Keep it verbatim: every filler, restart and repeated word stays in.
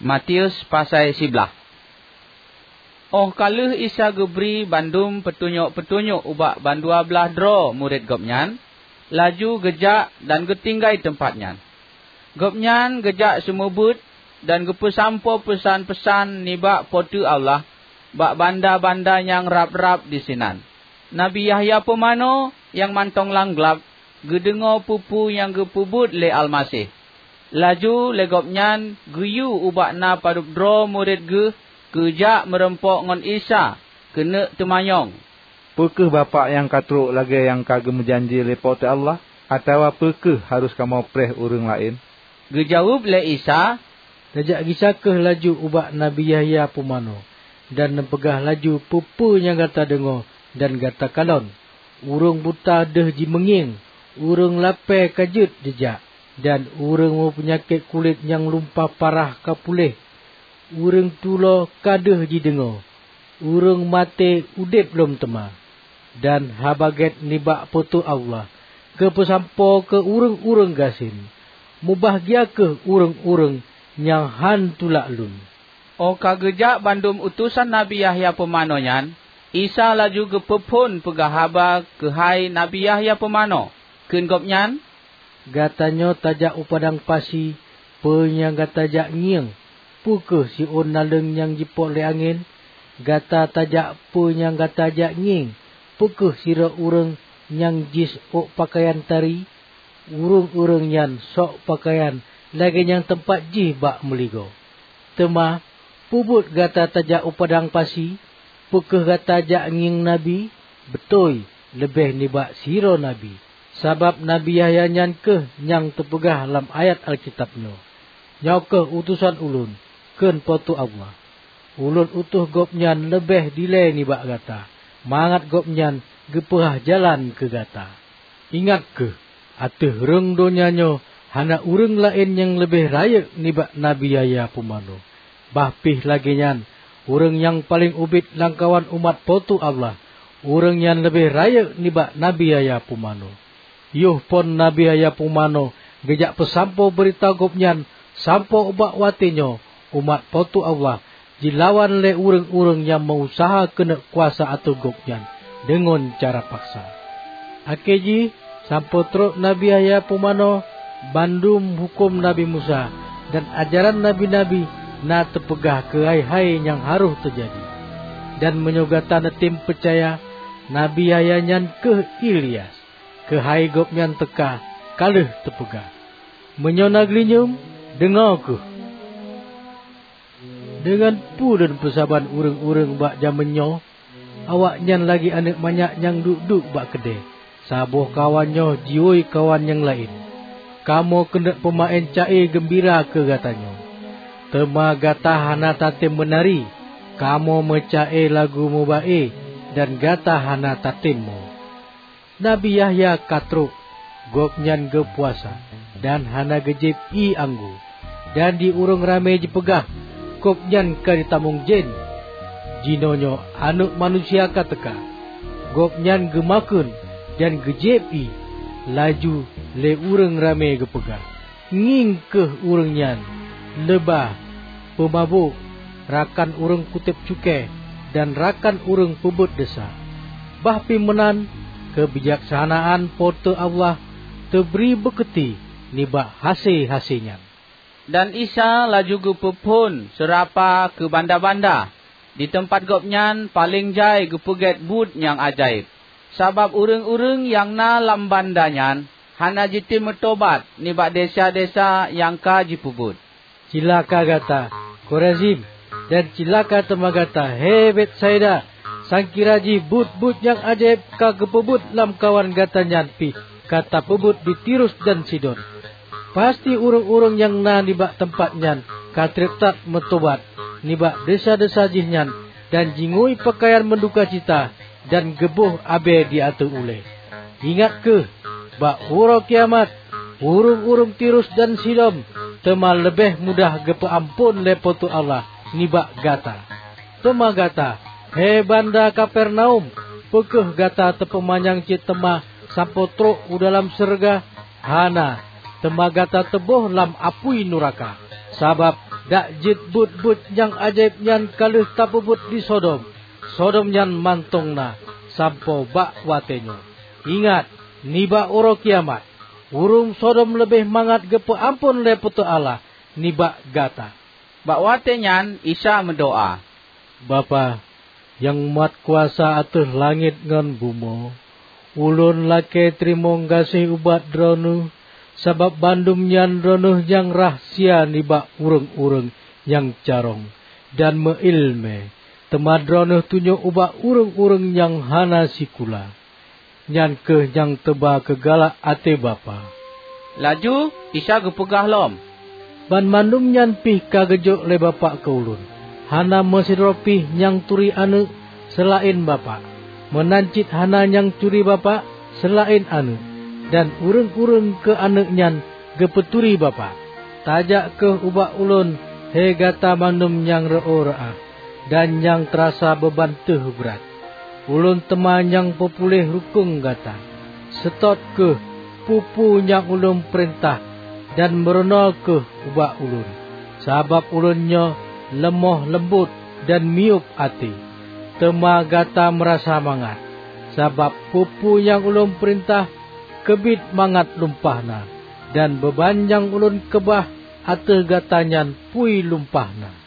Matius pasai siblaih. Óh ka lheueh Isa geubri bandum peutunyok-peutunyok ubak bandua blaih droe murit Gobnyan, laju geujak dan geutinggai teumpat nyan. Gobnyan geujak seumeubeuet dan geupeusampoe peusan-peusan nibak Po teu Allah bak banda-banda nyang rab-rab disinan. Nabi Yahya Pumanö nyang mantong lam glab geudeungoe peue-peue nyang geupeubuet lé Almaseh. Laju lé gobnyan geuyue ubak na padub droe murit geuh keu jak meurumpok ngon Isa keuneuk teumanyong, "Peu kheueh Bapak nyang ka trok lagée nyang ka geumeujanji lé Po teu Allah, atawa peu kheueh harôh kamoe preh ureuëng laén?" Geujaweueb lé Isa, "Tajak gisa kheueh laju ubak Nabi Yahya Pumanö, dan neupeugah laju peue-peue nyang gata deungoe dan gata kalon. Ureuëng buta deuh jimeungieng, ureuëng lapée ka jeuet jijak, dan ureuëng meupeunyakét kulét nyang lumpah parah ka puléh, ureuëng tulo ka deuh jideungoe, ureuëng maté udeb lom teuma, dan Haba Gét nibak Po teu Allah geupeusampoe keu ureuëng-ureuëng gasien. Mubahgia kheueh ureuëng-ureuëng nyang hán tulak Lôn." Óh ka geujak bandum utosan Nabi Yahya Pumanö nyan, Isa laju geupeuphon peugah haba keuhai Nabi Yahya Pumanö. Kheun Gobnyan, "Gata nyoe tajak u padang pasi, peue nyang gata jak ngieng? Peu kheueh siôn naleueng nyang jipok lé angén? Gata tajak, peue nyang gata jak ngieng? Peu kheueh sidroe ureuëng nyang jisôk peukayan tari? Ureuëng-ureuëng nyan sôk peukayan lagée nyang teumpat jih bak meuligoe. Teuma, peu buet gata tajak u padang pasi? Peu kheueh gata jak ngieng nabi? Beutôi, leubeh nibak sidroe nabi. Sabab Nabi Yahya nyan kheueh nyang teupeugah lam ayat Alkitab nyoe, 'Nyoe kheueh utosan Ulôn,' kheun Po teu Allah. 'Ulôn utus Gobnyan leubeh dilée nibak gata, mangat Gobnyan geupeuhah jalan keu gata.' Ingat kheueh, ateueh rhueng donya nyoe hana ureuëng laén nyang leubeh rayeuk nibak Nabi Yahya Pumanö. Bah pih lagée nyan, ureuëng nyang paleng ubit lamkawan umat Po teu Allah, ureuëng nyan leubeh rayeuk nibak Nabi Yahya Pumanö. Yoh phon Nabi Yahya Pumanö geujak peusampoe beurita Gobnyan sampoe ubak watée nyoe, umat Po teu Allah jilawan lé ureuëng-ureuëng nyang meu-useuha keuneuk kuasa ateueh Gobnyan deungon cara paksa. Akhé jih, sampoe trok Nabi Yahya Pumanö, bandum huköm Nabi Musa dan ajaran nabi-nabi na teupeugah keu hai-hai nyang harôh teujadi. Dan meunyoe gata neutem peucaya, Nabi Yahya nyan kheueh Ilyas, keuhai gobnyan teuka ka lheueh teupeugah. Meunyoe na geulinyueng, deungoe kheueh! Deungon peue lôn peusaban ureuëng-ureuëng bak jamén nyoe? Awaknyan lagée aneuëk manyak nyang duek-duek bak keudée. Saboh kawan nyoe jiwoe kawan nyang laén. Kamoe keuneuk peumaén ca-e geumbira keu gata nyoe. Teuma gata hana tatem meunari. Kamoe meuca-e lagu meuba-e, dan gata hana tatem mo. Nabi Yahya ka trok, gobnyan geupuasa, dan hana geujieb ié anggô. Dan di ureuëng ramé jipeugah, "Gobnyan ka jitamong jén." Jinoenyoe Aneuëk Manusia ka teuka. Gobnyan geumakheun dan geujieb ié. Laju lé ureuëng ramé geupeugah, "Ngieng kheueh ureuëng nyan, leubah, peumabök, rakan ureuëng kutéb cukée, dan rakan ureuëng peubuet desya." Bah pih meunan, keubijaksanaan Po teu Allah teubri beukeuti nibak hase-hase nyan. Dan Isa laju geupeuphon seurapa keu banda-banda, di teumpat Gobnyan paleng jai geupeugét buet nyang ajaéb, sabab ureuëng-ureuëng nyang na lam banda nyan hana jitem meutobat nibak desya-desya nyang ka jipeubuet. Cilaka gata, Korazim! Dan cilaka teuma gata, he Betsaida! Sangkira jih buet-buet nyang ajaéb ka geupeubuet lamkawan gata nyan pih ka tapeubuet di Tirus dan Sidon. Pasti ureuëng-ureuëng nyang na nibak teumpat nyan ka treb that meutobat nibak desya-desya jih nyan dan jingui peukayan meudukacita dan geuboh abée di ateueh ulée. Ingat kheueh, bak uroe kiamat, ureuëng-ureuëng Tirus dan Sidon teuma leubeh mudah geupeuamphon lé Po teu Allah nibak gata. Teuma gata, he banda Kapernaum, peu kheueh gata teupeumanyang cit teuma sampoe trok u dalam syeuruga? Hana, teuma gata teuboh lam apui nuraka. Sabab Dak jeuet buet-buet nyang ajaéb nyan ka lheueh tapeubuet di Sodom, Sodom nyan mantong na sampoe bak watée nyoe. Ingat, nibak uroe kiamat, ureuëng Sodom leubeh mangat geupeuamphon lé Po teu Allah nibak gata." Bak watée nyan Isa meudoá, "Bapak, nyang mat kuasa ateueh langét ngon bumoe, Ulôn lakée teurimong gaséh ubak Droeneueh, sabab bandum nyan Droeneueh nyang rahsia nibak ureuëng-ureuëng nyang carông dan meuiéleumé, teuma Droeneueh tunyok ubak ureuëng-ureuëng nyang hana sikula. Nyan kheueh nyang teuba keu galak até Bapak." Laju Isa geupeugah lom, "Banmandum nyan pih ka geujok lé Bapak keu Ulôn. Hana meusidroe pih nyang turi Aneuëk seulaén Bapak, meunan cit hana nyang turi Bapak seulaén Aneuëk, dan ureuëng-ureuëng keu Aneuëk nyan geupeuturi Bapak. Tajak kheueh ubak Ulôn, he gata mandum nyang reuôh reuah dan nyang teurasa beuban teuh brat. Ulôn teuma nyang peupuléh rukong gata. Seutôt kheueh peue-peue nyang Ulôn peurintah dan meurunoe kheueh ubak Ulôn, sabab Ulôn nyoe leumoh leumbot dan miyueb até. Teuma gata meurasa mangat, sabab peue-peue nyang Ulôn peurintah keubiet mangat lumpah na, dan beuban nyang Ulôn keubah ateueh gata nyan pui lumpah na."